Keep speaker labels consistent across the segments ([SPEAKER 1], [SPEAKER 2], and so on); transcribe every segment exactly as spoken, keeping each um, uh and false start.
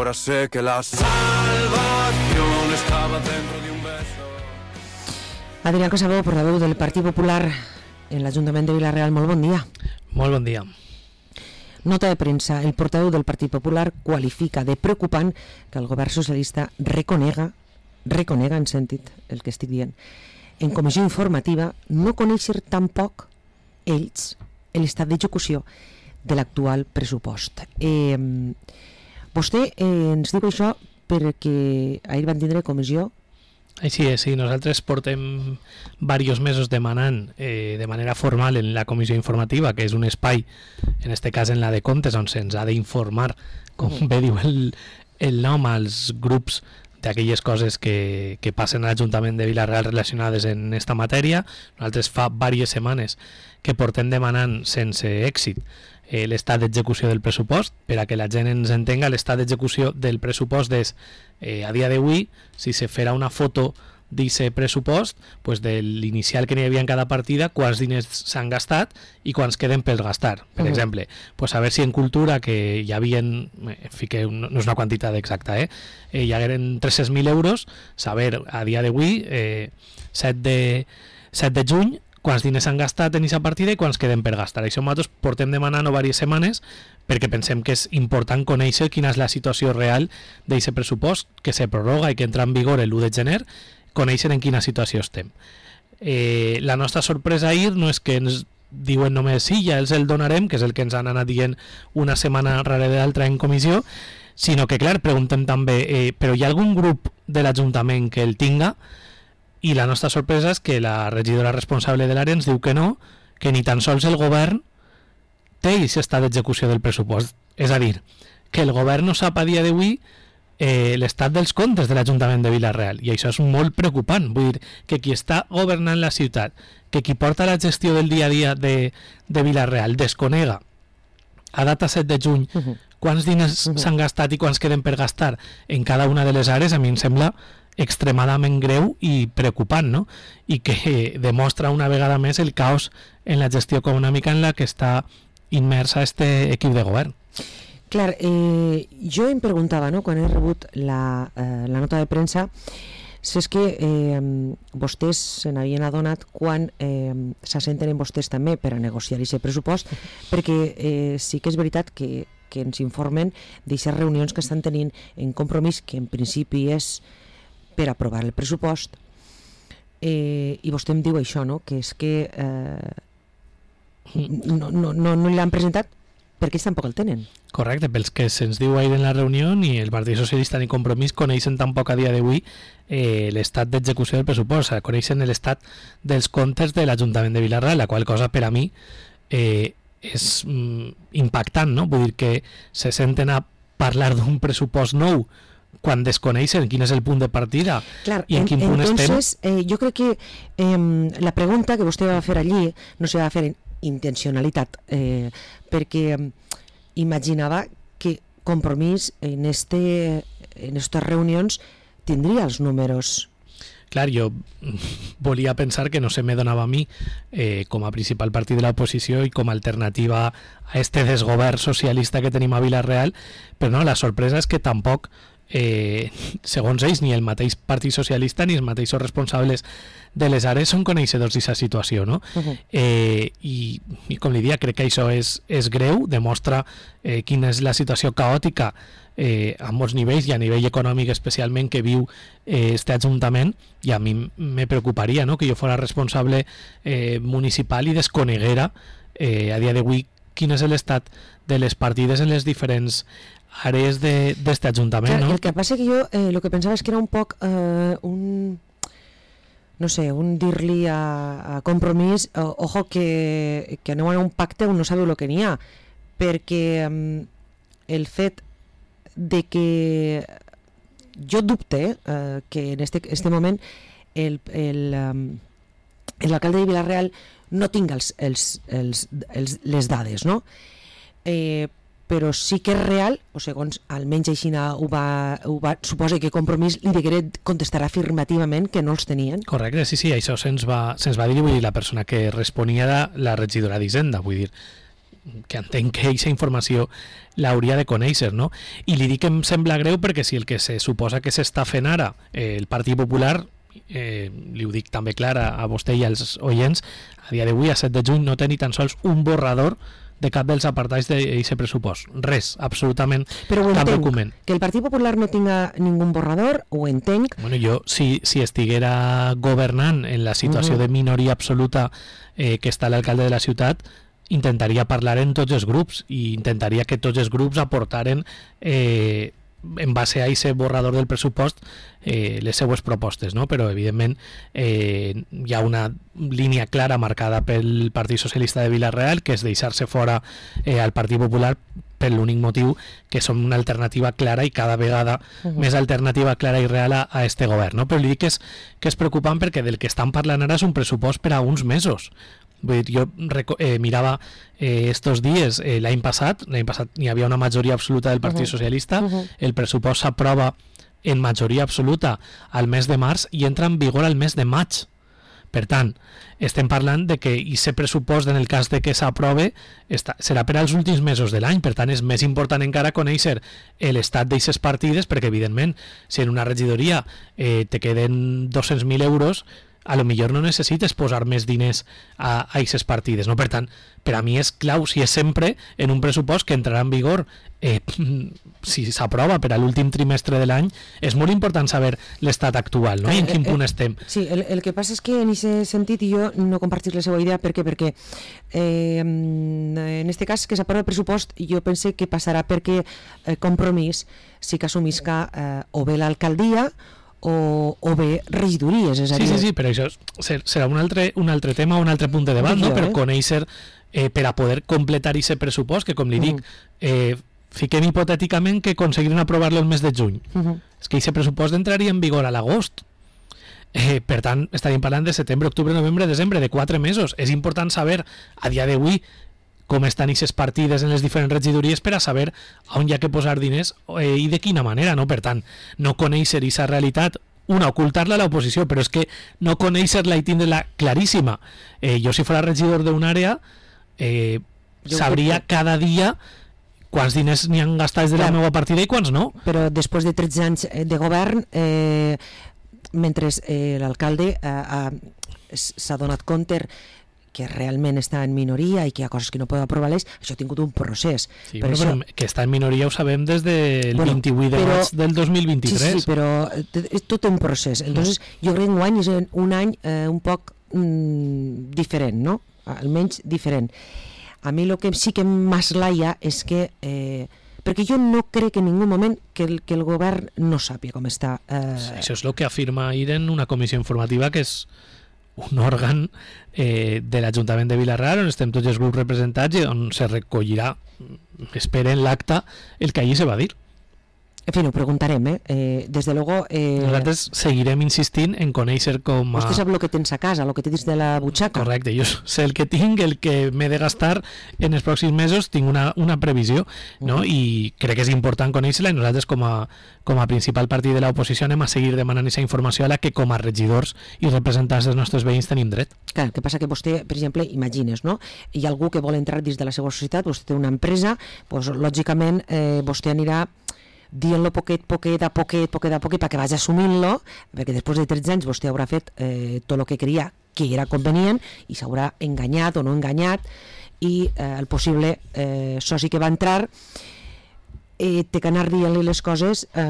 [SPEAKER 1] ahora sé que la salvación estaba dentro de un beso.
[SPEAKER 2] Adrián Casabó, portaveu del Partit Popular en l'Ajuntament de Vila-real, molt bon dia.
[SPEAKER 3] Molt bon dia.
[SPEAKER 2] Nota de premsa, el portaveu del Partit Popular qualifica de preocupant que el govern socialista reconega, reconega en sentit el que estic dient, en comissió informativa no conèixer tampoc ells l'estat d'execució de l'actual pressupost. Eh, vostè eh, ens diu això perquè ahir van tindre comissió.
[SPEAKER 3] Així és, sí, nosaltres portem diversos mesos demanant eh, de manera formal en la comissió informativa, que és un espai, en este cas en la de comptes, on se'ns ha d'informar, com bé diu el, el nom, als grups d'aquelles coses que, que passen a l'Ajuntament de Vila-real relacionades en esta matèria. Nosaltres fa diverses setmanes que portem demanant sense èxit eh, l'estat d'execució del pressupost. Per a que la gent ens entenga, l'estat d'execució del pressupost és, eh, a dia d'avui, si se farà una foto d'aquest pressupost, pues de l'inicial que n'hi havia en cada partida, quants diners s'han gastat i quants queden per gastar. Per uh -huh. exemple, pues a veure si en cultura, que hi havia, en fique, no és una quantitat exacta, eh? eh hi hagueren tres-cents mil euros, saber a dia d'avui, eh, set de juny, quants diners s'han gastat en aquesta partida i quants queden per gastar. Això nosaltres portem demanant-ho diverses setmanes perquè pensem que és important conèixer quina és la situació real d'aquest pressupost que se prorroga i que entra en vigor l'u de gener, conèixer en quina situació estem. Eh, la nostra sorpresa ahir no és que ens diuen només sí, ja els el donarem, que és el que ens han anat dient una setmana rere d'altra en comissió, sinó que, clar, preguntem també, eh, però hi ha algun grup de l'Ajuntament que el tinga? I la nostra sorpresa és que la regidora responsable de l'àrea ens diu que no, que ni tan sols el govern té aquest estat d'execució del pressupost. És a dir, que el govern no sap a dia d'avui eh, l'estat dels comptes de l'Ajuntament de Vila-real, i això és molt preocupant. Vull dir, que qui està governant la ciutat, que qui porta la gestió del dia a dia de, de Vila-real desconega a data set de juny uh -huh. quants diners uh -huh. s'han gastat i quants queden per gastar en cada una de les àrees, a mi em sembla extremadament greu i preocupant, no? I que demostra una vegada més el caos en la gestió econòmica en la que està immersa este equip de govern.
[SPEAKER 2] Clar, eh, jo em preguntava, no?, quan he rebut la, eh, la nota de premsa, si és que eh, vostès se n'havien adonat quan eh, s'assenten en vostès també per a negociar aquest pressupost, perquè eh, sí que és veritat que, que ens informen d'aquestes reunions que estan tenint en Compromís, que en principi és per aprovar el pressupost, eh, i vostè em diu això, no?, que és que eh, no, no, no, no l'han presentat perquè ells tampoc el tenen.
[SPEAKER 3] Correcte, pels que se'ns diu ahir en la reunió, ni el Partit Socialista ni Compromís coneixen tampoc a dia d'avui eh, l'estat d'execució del pressupost, o sigui, coneixen l'estat dels comptes de l'Ajuntament de Vila-real, la qual cosa per a mi eh, és mm, impactant, no? Vull dir que se senten a parlar d'un pressupost nou quan desconeixen quin és el punt de partida.
[SPEAKER 2] Clar,
[SPEAKER 3] i en, en quin punt
[SPEAKER 2] entonces,
[SPEAKER 3] estem.
[SPEAKER 2] Eh, jo crec que eh, la pregunta que vostè va fer allí no se va fer en intencionalitat, eh, perquè eh, imaginava que Compromís en este, en estas reunions tindria els números.
[SPEAKER 3] Clar, jo volia pensar que no se me donava a mi eh, com a principal partit de l'oposició i com a alternativa a este desgovern socialista que tenim a Vila-real, però no, la sorpresa és que tampoc Eh, segons ells, ni el mateix Partit Socialista ni els mateixos responsables de les àrees són coneixedors d'aquesta situació, no? Uh-huh. eh, i, i com li dia, crec que això és, és greu, demostra eh, quina és la situació caòtica eh, a molts nivells i a nivell econòmic especialment que viu eh, este Ajuntament, i a mi me preocuparia, no?, que jo fora responsable eh, municipal i desconeguera eh, a dia d'avui quin és l'estat de les partides en les diferents àrees d'este Ajuntament,
[SPEAKER 2] Clar,
[SPEAKER 3] no?
[SPEAKER 2] El que passa que jo eh, el que pensava és que era un poc eh, un no sé, un dir-li a, a Compromís eh, ojo que, que aneu a un pacte on no sabeu el que n'hi ha, perquè eh, el fet de que jo dubte eh, que en este, este moment el, el, um, l'alcalde de Vila-real no tinga els, els, els, els, les dades, no? Eh, però sí que és real, o segons almenys així ho va, ho va suposa que Compromís li degué contestar afirmativament que no els tenien.
[SPEAKER 3] Correcte, sí, sí, això se'ns va, se'ns va dir, vull dir, la persona que responia era la regidora d'Hisenda, vull dir, que entenc que aquesta informació l'hauria de conèixer, no? I li dic que em sembla greu perquè si el que se suposa que s'està fent ara eh, el Partit Popular, eh, li ho dic també clar a, a vostè i als oients, a dia d'avui, a set de juny, no té ni tan sols un borrador de cap dels apartats d'aquest pressupost. Res, absolutament
[SPEAKER 2] Però ho
[SPEAKER 3] cap
[SPEAKER 2] entenc,
[SPEAKER 3] document.
[SPEAKER 2] que el Partit Popular no tinga ningú borrador, ho entenc.
[SPEAKER 3] Bueno, jo, si, si estiguera governant en la situació
[SPEAKER 2] Uh-huh.
[SPEAKER 3] de minoria absoluta eh, que està l'alcalde de la ciutat, intentaria parlar en tots els grups i intentaria que tots els grups aportaren eh, en base a aquest borrador del pressupost eh, les seues propostes, no? Però evidentment eh, hi ha una línia clara marcada pel Partit Socialista de Vila-real, que és deixar-se fora eh, al Partit Popular per l'únic motiu que som una alternativa clara i cada vegada uh-huh. més alternativa clara i real a, a este govern, no? Però li dic que és, que és preocupant perquè del que estan parlant ara és un pressupost per a uns mesos. Vull dir, jo eh, mirava eh, estos dies, eh, l'any passat, l'any passat hi havia una majoria absoluta del Partit
[SPEAKER 2] Uh-huh.
[SPEAKER 3] Socialista,
[SPEAKER 2] Uh-huh.
[SPEAKER 3] el pressupost s'aprova en majoria absoluta al mes de març i entra en vigor al mes de maig. Per tant, estem parlant de que aquest pressupost, en el cas de que s'aprove, està, serà per als últims mesos de l'any. Per tant, és més important encara conèixer l'estat d'aquestes partides, perquè, evidentment, si en una regidoria eh, te queden dos-cents mil euros, a lo millor no necessites posar més diners a aquestes partides, no? Per tant, per a mi és clau, si és sempre en un pressupost que entrarà en vigor eh, si s'aprova per a l'últim trimestre de l'any, és molt important saber l'estat actual, no? I en quin punt estem.
[SPEAKER 2] Sí, el, el que passa és que en aquest sentit i jo no compartís la seva idea perquè perquè eh, en este cas que s'aprova el pressupost jo pense que passarà perquè eh, Compromís sí que assumisca eh, o bé l'alcaldia o, o bé regidories, és a dir...
[SPEAKER 3] Sí, sí, sí, però això ser, serà un altre, un altre tema, un altre punt de debat, no? Per conèixer, eh, per a poder completar aquest pressupost, que com li dic, eh, fiquem hipotèticament que aconseguiran aprovar-lo el mes de juny.
[SPEAKER 2] Uh-huh.
[SPEAKER 3] És que aquest pressupost entraria en vigor a l'agost. Eh, per tant, estaríem parlant de setembre, octubre, novembre, desembre, de quatre mesos. És important saber, a dia d'avui, com estan aquestes partides en les diferents regidories per a saber on hi ha que posar diners eh, i de quina manera, no? Per tant, no conèixer aquesta realitat, una, ocultar-la a l'oposició, però és que no conèixer-la i tindre-la claríssima. Eh, jo, si fos regidor d'una àrea, eh, sabria cada dia quants diners n'hi han gastats de la
[SPEAKER 2] Clar.
[SPEAKER 3] meva partida i quants no.
[SPEAKER 2] Però després de tretze anys de govern, eh, mentre eh, l'alcalde eh, eh, s'ha donat compte que realment està en minoria i que hi ha coses que no pot aprovar-les, això ha tingut un procés.
[SPEAKER 3] Sí,
[SPEAKER 2] per
[SPEAKER 3] bueno,
[SPEAKER 2] això...
[SPEAKER 3] però que està en minoria ho sabem des del
[SPEAKER 2] Bueno,
[SPEAKER 3] vint-i-vuit de
[SPEAKER 2] però-
[SPEAKER 3] maig del dos mil vint-i-tres.
[SPEAKER 2] Sí, sí, però t- és tot un procés. Entonces, jo crec que enguany és un any eh, un poc mm, diferent, no? Almenys diferent. A mi el que sí que m'aslaia és que... Eh, perquè jo no crec en ningú moment que el, que el govern no sàpiga com està. Eh...
[SPEAKER 3] Sí, això és el que afirma ahir en una comissió informativa que és un òrgan eh, de l'Ajuntament de Vila-real on estem tots els grups representats i on se recollirà, esperen l'acte, el que allí se va dir.
[SPEAKER 2] En fi, ho preguntarem, eh? eh des de luego... Eh...
[SPEAKER 3] Nosaltres seguirem insistint en conèixer com a...
[SPEAKER 2] Vostè sap el que tens a casa, el que tens de la butxaca.
[SPEAKER 3] Correcte, jo sé el que tinc, el que m'he de gastar en els pròxims mesos, tinc una, una previsió, no?
[SPEAKER 2] Mm.
[SPEAKER 3] I crec que és important conèixer-la i nosaltres com a, com a principal partit de l'oposició anem a seguir demanant aquesta informació a la que com a regidors i representants dels nostres veïns tenim dret.
[SPEAKER 2] Clar, el que passa que vostè, per exemple, imagines, no? Hi ha algú que vol entrar dins de la seva societat, vostè té una empresa, doncs, lògicament eh, vostè anirà dient-lo poquet, poquet, a poquet, poquet a poquet, perquè vagi assumint-lo, perquè després de tretze anys vostè haurà fet eh, tot el que creia que era convenient i s'haurà enganyat o no enganyat i eh, el possible eh, soci que va entrar eh, té que anar dient-li les coses eh,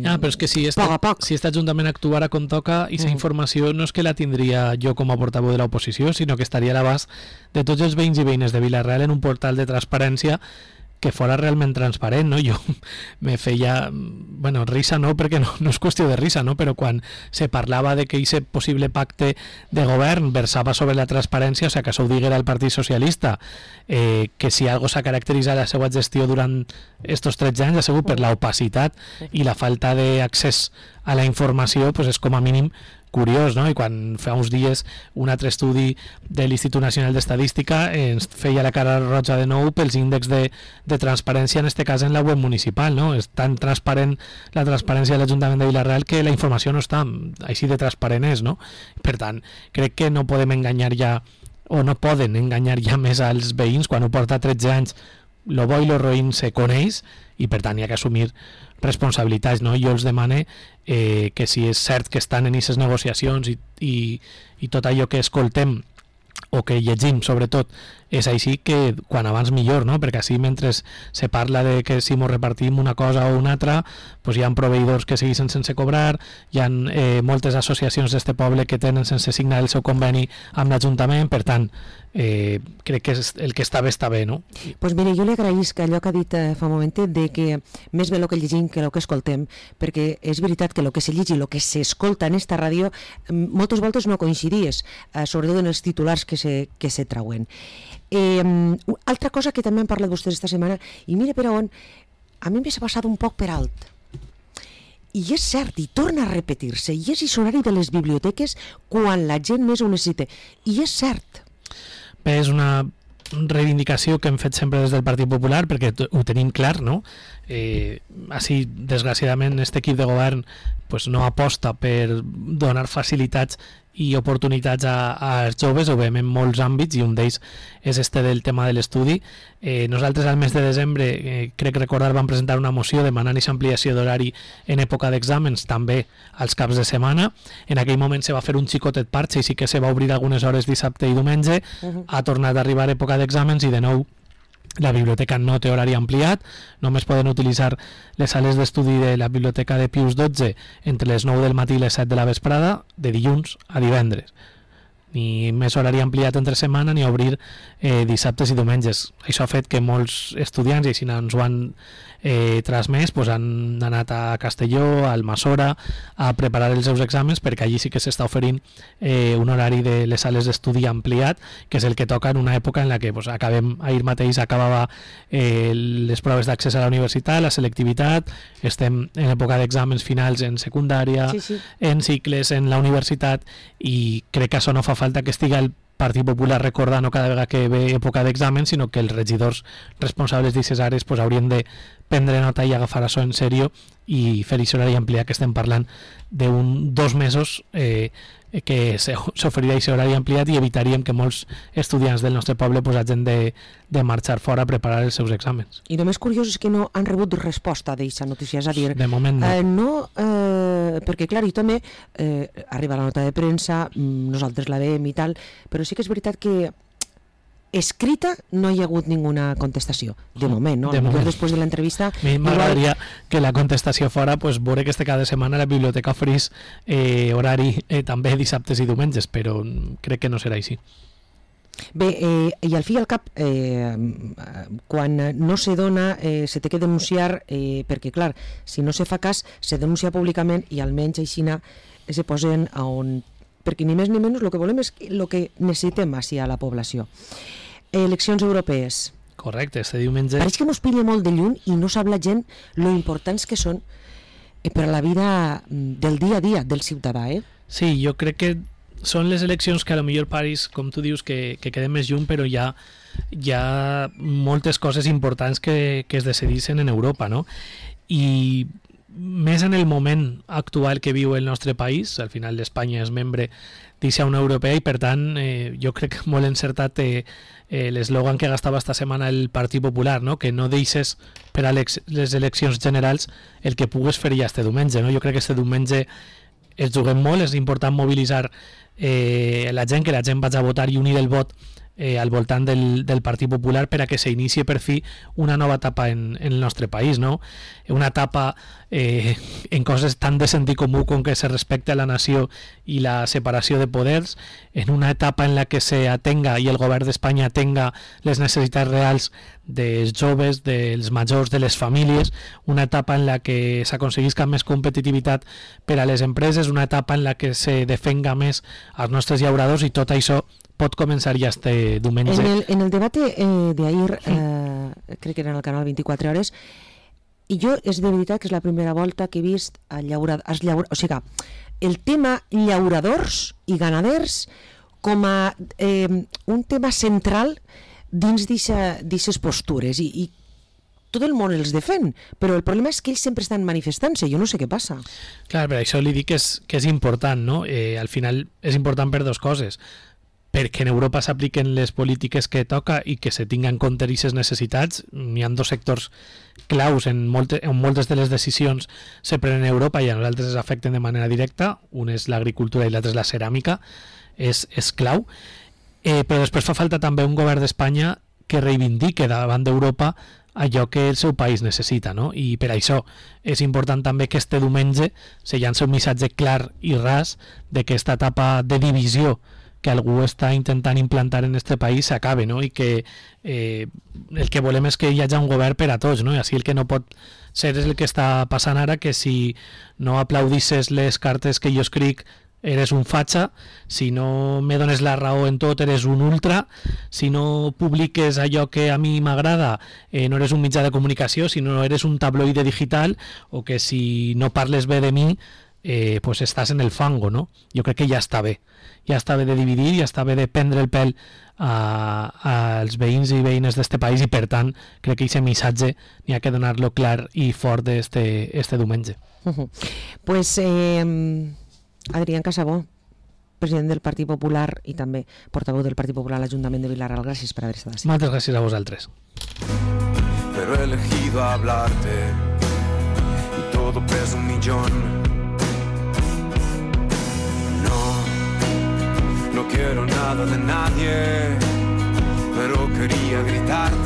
[SPEAKER 3] Ah, però és que si este,
[SPEAKER 2] poc a poc.
[SPEAKER 3] si este Ajuntament actuara com toca, i aquesta
[SPEAKER 2] Mm.
[SPEAKER 3] informació no és que la tindria jo com a portaveu de l'oposició, sinó que estaria a l'abast de tots els veïns i veïnes de Vila-real en un portal de transparència que fora realment transparent, no? Jo me feia, bueno, risa no, perquè no, no és qüestió de risa, no? Però quan se parlava de que aquest possible pacte de govern versava sobre la transparència, o sigui, que això ho diguera el Partit Socialista, eh, que si algo s'ha caracteritzat la seva gestió durant estos tretze anys ha sigut per l'opacitat i la falta d'accés a la informació, pues és com a mínim curiós, no? I quan fa uns dies un altre estudi de l'Institut Nacional d'Estadística ens feia la cara roja de nou pels índexs de, de transparència, en este cas en la web municipal, no? És tan transparent la transparència de l'Ajuntament de Vila-real que la informació no està així de transparent és, no? Per tant, crec que no podem enganyar ja o no poden enganyar ja més als veïns quan ho porta tretze anys. Lo bo i lo roïn se coneix i per tant hi ha que assumir responsabilitats, no? Jo els demane eh, que si és cert que estan en aquestes negociacions i, i, i tot allò que escoltem o que llegim sobretot és així, que quan abans millor, no? Perquè així mentre se parla de que si mos repartim una cosa o una altra, pues hi ha proveïdors que segueixen sense cobrar, hi ha eh, moltes associacions d'este poble que tenen sense signar el seu conveni amb l'Ajuntament, per tant eh, crec que és el que està bé està bé, no?
[SPEAKER 2] Pues mire, jo li agraïsc allò que ha dit eh, fa un moment de que més bé el que llegim que el que escoltem, perquè és veritat que el que se llegeix i el que s'escolta en esta ràdio moltes voltes no coincidies, eh, sobretot en els titulars que se, que se trauen. Eh, altra cosa que també han parlat vostès esta setmana, i mire per on, a mi m'ha passat un poc per alt. I és cert, i torna a repetir-se, i és horari de les biblioteques quan la gent més ho necessita. I és cert.
[SPEAKER 3] Bé, és una reivindicació que hem fet sempre des del Partit Popular, perquè ho tenim clar, no? Eh, així, desgraciadament, aquest equip de govern pues, no aposta per donar facilitats i oportunitats a, als joves, ho veiem en molts àmbits, i un d'ells és este del tema de l'estudi. Eh, nosaltres al mes de desembre, eh, crec recordar, vam presentar una moció demanant aquesta ampliació d'horari en època d'exàmens, també als caps de setmana. En aquell moment se va fer un xicotet parxe i sí que se va obrir algunes hores dissabte i diumenge. Uh-huh. Ha tornat a arribar època d'exàmens i de nou la biblioteca no té horari ampliat, només poden utilitzar les sales d'estudi de la biblioteca de Pius dotze entre les nou del matí i les set de la vesprada, de dilluns a divendres. Ni més horari ampliat entre setmana ni obrir eh, dissabtes i diumenges. Això ha fet que molts estudiants, i així ens ho han eh, transmès, pues han anat a Castelló, a Almassora, a preparar els seus exàmens, perquè allí sí que s'està oferint eh, un horari de les sales d'estudi ampliat, que és el que toca en una època en la que pues, acabem, ahir mateix acabava eh, les proves d'accés a la universitat, la selectivitat, estem en època d'exàmens finals en secundària, sí, sí. en cicles, en la universitat, i crec que això no fa falta que estigui el Partit Popular recordant cada vegada que ve època d'examen, sinó que els regidors responsables d'aquestes àrees pues, haurien de prendre nota i agafar això en sèrio i fer això horari ampliat, que estem parlant d'un dos mesos eh, que s'oferirà aquest horari ampliat, i evitaríem que molts estudiants del nostre poble pues, hagin de, de marxar fora a preparar els seus exàmens.
[SPEAKER 2] I el més curiós és que no han rebut resposta d'aquesta notícia, és a dir,
[SPEAKER 3] de moment no,
[SPEAKER 2] eh, no eh, perquè clar, i també eh, arriba la nota de premsa, nosaltres la veiem i tal, però sí que és veritat que escrita no hi ha hagut ninguna contestació de moment, no?
[SPEAKER 3] De moment.
[SPEAKER 2] Després de l'entrevista
[SPEAKER 3] a mi m'agradaria igual... que la contestació fora pues, veure que este cada setmana la biblioteca oferís eh, horari eh, també dissabtes i diumenges, però crec que no serà així.
[SPEAKER 2] Bé, eh, i al fi i al cap eh, quan no se dona eh, se té que denunciar eh, perquè clar, si no se fa cas se denuncia públicament i almenys aixina se posen a on, perquè ni més ni menys el que volem és el que necessitem així a la població. Eleccions europees.
[SPEAKER 3] Correcte, este diumenge...
[SPEAKER 2] Pareix que mos pilla molt de lluny i no sap la gent lo importants que són per a la vida del dia a dia del ciutadà, eh?
[SPEAKER 3] Sí, jo crec que són les eleccions que a lo millor pareix, com tu dius, que, que quedem més lluny, però hi ha, hi ha moltes coses importants que, que es decidissin en Europa, no? I més en el moment actual que viu el nostre país, al final d'Espanya és membre d'Ixa Unió Europea i per tant eh, jo crec que molt encertat eh, eh, l'eslògan que gastava esta setmana el Partit Popular, no? Que no deixes per a les, les eleccions generals el que pugues fer ja este diumenge, no? Jo crec que este diumenge es juguem molt, és important mobilitzar eh, la gent, que la gent vagi a votar i unir el vot Eh, al voltant del, del Partit Popular per a que s'inicie per fi una nova etapa en, en el nostre país, no? Una etapa eh, en coses tan de sentit comú com que se respecte a la nació i la separació de poders, en una etapa en la que se atenga i el govern d'Espanya atenga les necessitats reals dels joves, dels majors, de les famílies, una etapa en la que s'aconseguisca més competitivitat per a les empreses, una etapa en la que se defenga més als nostres llauradors, i tot això pot començar ja este diumenge.
[SPEAKER 2] En el, en el debat eh, d'ahir, eh, crec que era en el canal vint-i-quatre hores, i jo és de veritat que és la primera volta que he vist a llauradors, als llauradors, o sigui, el tema llauradors i ganaders com a eh, un tema central dins d'aquestes postures, i, i tot el món els defèn, però el problema és que ells sempre estan manifestant-se, jo no sé què passa.
[SPEAKER 3] Clar, per això li dic que és, que és important, no? Eh, al final és important per dues coses. perquè en Europa s'apliquen les polítiques que toca i que se tinguen en compte aquestes necessitats. Hi ha dos sectors claus en, molte, en moltes de les decisions se prenen a Europa i a nosaltres es afecten de manera directa. Un és l'agricultura i l'altre és la ceràmica. És, és clau. Eh, però després fa falta també un govern d'Espanya que reivindique davant d'Europa allò que el seu país necessita, no? I per això és important també que este diumenge se llança un missatge clar i ras de que aquesta etapa de divisió que algú està intentant implantar en este país s'acabe, no? I que eh, el que volem és que hi hagi un govern per a tots, no? I així el que no pot ser és el que està passant ara, que si no aplaudisses les cartes que jo escric eres un fatxa, si no me dones la raó en tot eres un ultra, si no publiques allò que a mi m'agrada eh, no eres un mitjà de comunicació, si no eres un tabloide digital, o que si no parles bé de mi eh, pues estàs en el fango, no? Jo crec que ja està bé, ja està bé de dividir, ja està bé de prendre el pèl a, als veïns i veïnes d'este país, i per tant crec que aquest missatge n'hi ha que donar-lo clar i fort este, este diumenge.
[SPEAKER 2] Uh-huh. Pues eh... Adrián Casabó, president del Partit Popular i també portaveu del Partit Popular a l'Ajuntament de Vilareal, gràcies per haver estat així.
[SPEAKER 3] Moltes gràcies a vosaltres.
[SPEAKER 1] Pero he elegido hablarte y todo pesa un millón. No, no quiero nada de nadie, pero quería gritarte.